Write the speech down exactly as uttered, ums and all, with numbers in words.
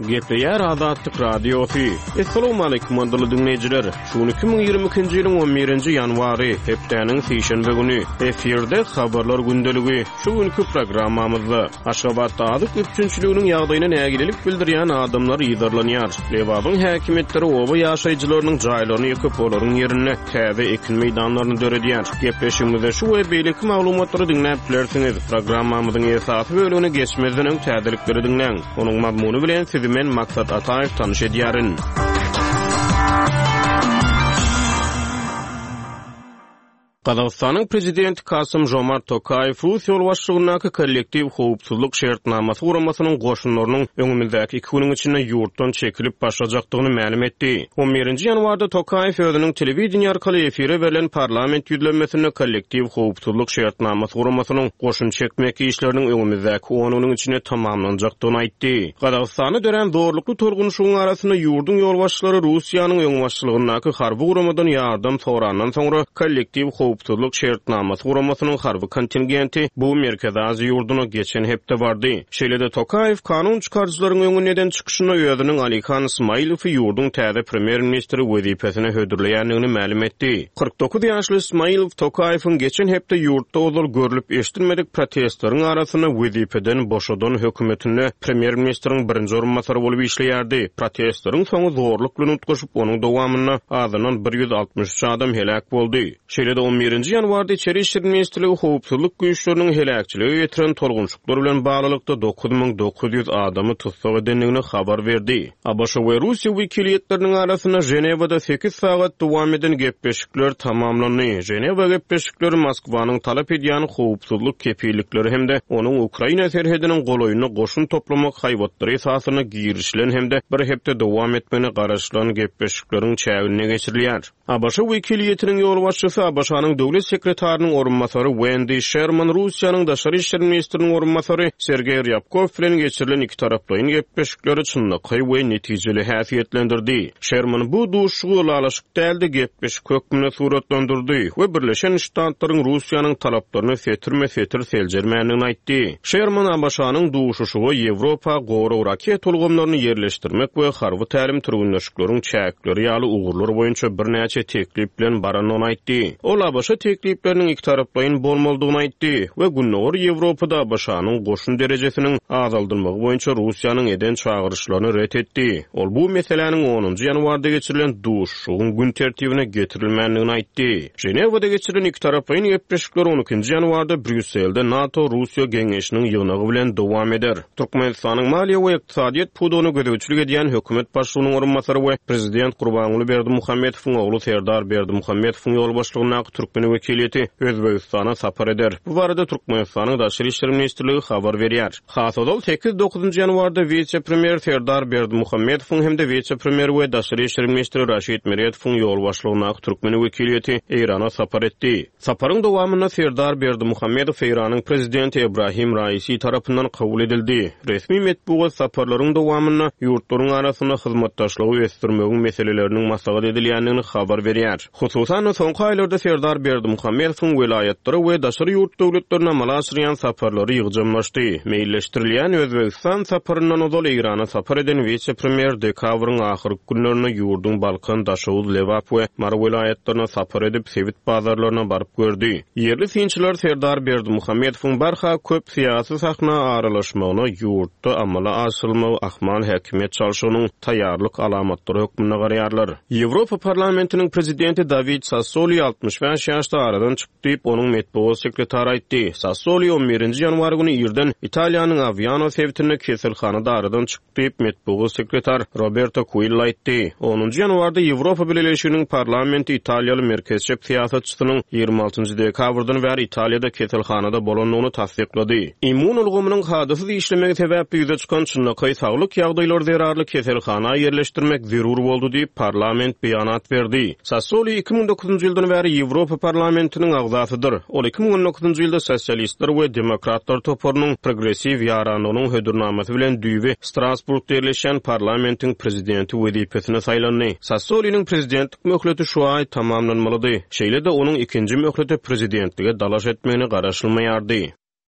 Gepleýär Azatlyk Radiosy. Assalamualaikum gadyrly diňleýjiler. Şu gün iki müň ýigrimi ikinji ýylyň on birinji ýanwary, hepdäniň sişenbe güni. Efirde habarlar gündeligi. Şu günkü programmamyzda Aşgabatda azyk üpjünçiliginiň ýagdaýyna nägilelik bildirýän adamlar yzarlanýar. Lebabyň häkimiýetleri oba ýaşaýjylarynyň jaýlaryny ýykyp, olaryň ýerine täze ekin meýdanlaryny döredýär. Gepleşigimizde şu we beýleki maglumatlary diňläp bilersiňiz. Programmamyzyň esasy bölümini geçmezden öň täzelikleri diňläň. Onuň mazmuny bilen sizi men Maksat Ataýew tanyş edýärin. Gazagystanyň prezidenti Kasym Jomart Tokaýew Rus ýolbaşçylygyndaky kollektiw howpsuzlyk şertnamasy guramasynyň goşunlarynyň öňümizdäki iki günüň içinde ýurtdan çekilip başlajakdygyny mälim etdi. on birinji ýanwarda Tokaýew özüniň telewideniýe arkaly efire berlen parlament ýüzlenmesinde kollektiw howpsuzlyk şertnamasy guramasynyň goşun çekmek işleriniň öňümizdäki on günüň içinde tamamlanjakdygyny aýtdy. Gazagystanda dörän zorlukly tolgunşygyň arasynda ýurduň ýolbaşçylary Russiýanyň öňbaşçylygyndaky harby guramadan ýardam sorandan soňra kollektiw howpsuzlyk şertnamasy guramasynyň harby kontingenti bu Merkezi Aziýa ýurduna geçen hepde bardy. Şeýle-de Tokaýew kanun çykaryjylaryň öňünden çykyşyny özüniň Alihan Ismailowy ýurduň täze premýer-ministri wezipesine hödürleýändigini mälim etdi. Kyrk dokuz ýaşly Ismailow Tokaýewiň geçen hepde ýurtda ozal görlüp eşidilmedik protestleriň arasynda wezipeden boşadan hökümetinde premýer-ministriň birinji orunbasary bolup işleýärdi. Protestleriň soňy zorluk bilen utgaşyp, onuň dowamynda azyndan bir ýüz altmyş üç adam heläk boldy. Şeýle-de on birinji ýanwarda İçeri İşler Ministrligi howpsuzlyk güýçleriniň heläkçilige getiren tolgunşyklar bilen baglylykda dokuz müň dokuz ýüz adamy tussag edendigini habar berdi. A B Ş we Russiýa wekiliýetleriniň arasynda Ženewada sekiz sagat dowam eden gepleşikler tamamlandy. Ženewa gepleşikleri Moskwanyň talap edýän howpsuzlyk kepillikleri hem-de onuň Ukraina serhediniň golaýynda goşun toplamak haýbatlary esasynda girişilen hem-de bir hepde dowam etmegine garaşylan gepleşikleriň çäginde geçirilýär. A B Ş wekiliýetiniň ýolbaşçysy A B Ş-nyň döwlet sekretarynyň orunbasary Wendy Sherman Russiýanyň daşary işler ministriniň orunbasary Sergeý Ryabkov bilen geçirilen iki taraplaýyn gepleşikleri çynlakaý we netijeli häsiýetlendirdi. Sherman bu duşuşygy ylalaşyk däldi gepleşik hökmünde suratlandyrdy we Birleşen Ştatlaryň Russiýanyň talaplaryny setirme-setir seljermändigini aýtdy. Sherman A B Ş-nyň duşuşygy Ýewropa gorag raket ulgamlaryny ýerleşdirmek we harby tälim türgünleşikleriň çäkleri ýaly ugurlar boýunça birnäçe teklip bilen barandygyny aýtdy. Ol A B Ş teklipleriniň iki taraplaýyn bolmalydygyny aýtdy we Gündogar Ýewropada A B Ş-nyň goşun derejesiniň azaldylmagy boýunça Russiýanyň eden çagyryşlaryny ret etdi. Ol bu meseläniň onunjy ýanwarda geçirilen duşuşygyň gün tertibine getirilmändigini aýtdy. Ženewada geçirilen iki taraplaýyn gepleşikler on ikinji ýanwarda Brýusselde NATO Russiýa geňeşiniň ýygnagy bilen dowam eder. Türkmenistanyň maliýe we ykdysadyýet pudagyna gözegçilik edýän hökümet başlygynyň orunbasary we prezident Gurbanguly Berdimuhamedowyň ogly Serdar Berdimuhamedowyň ýolbaşçylygyndaky türkmen wekiliýeti Özbegistana sapar eder. Bu barada Türkmenistanyň Daşary İşler Ministrligi habar berýär. Has ozal sekiz dokuzynjy ýanwarda wise-premýer Serdar Berdimuhamedowyň hem-de wise-premýer we Daşary İşler Ministri Raşid Meredowyň ýolbaşçylygyndaky türkmen wekiliýeti Eýrana sapar etdi. Saparyň dowamynda Serdar Berdimuhamedow Eýranyň prezidenti Ibrahim Raisi tarapyndan kabul edildi. Resmi metbugat saparlaryň dowamynda ýurtlaryň arasynda hyzmatdaşlygy ösdürmegiň meseleleriniň maslahat edilýändigini habar berýär. Hususan soňky aýlarda Serdar Berdimuhamedowyň welaýatlary we daşary ýurt döwletlerine amala aşyrýan saparlary ýygjamlaşdy. Meýilleşdirilýän Özbegistan saparyndan ozal Eýrana sapar eden wise-premýer dekabryň ahyrky günlerinde ýurduň Balkan, Daşoguz, Lebap we Mary welaýatlaryna sapar edip sebit bazarlaryna baryp gördi. Ýerli synçylar Serdar Berdimuhamedowyň barha köp syýasy sahna aralaşmagyna ýurtda amala aşyrylmagy ahmal häkimiýet çalşygynyň taýýarlyk alamatlary hökmünde garaýarlar. Ýewropa parlamentiniň prezidenti David Sassoli altmyş bäş ýaşda aradan çykdy diýip, onuň metbugat sekretary aýtdy. Sassoli on birinji ýanwar güni irden Italiýanyň Aviano sebitinde keselhanada aradan çykdy diýip, metbugat sekretar Roberto Quilla aýtdy. Onunjy ýanwarda Ýewropa Bileleşiginiň parlamenti Italiýaly merkezçep syýasatçysynyň ýigrimi altynjy dekabrdan bäri Italiýada keselhanada bolandygyny tassyklady. Immun ulgamynyň kadasyz işlemegi sebäpli ýüze çykan çynlakaý saglyk ýagdaýlary zerarly keselhana ýerleşdirmek zerur boldy diýip, parlament beýanat berdi. Sassoli iki müň dokuzynjy ýyldan bäri Ýewropa parlamentiniň agzasydyr. Ol iki müň on dokuzynjy ýylda sosialistler we demokratlar toparynyň progressiw ýaranlygynyň hödürnamasy bilen düýbi Strasburgda ýerleşýän parlamentiň prezidenti wezipesine saýlandy. Sassoliniň prezidentlik möhleti şu aý tamamlanmalydy. Şeýle-de onuň ikinji möhleti prezidentlige dalaş etmegine garaşylmaýardy.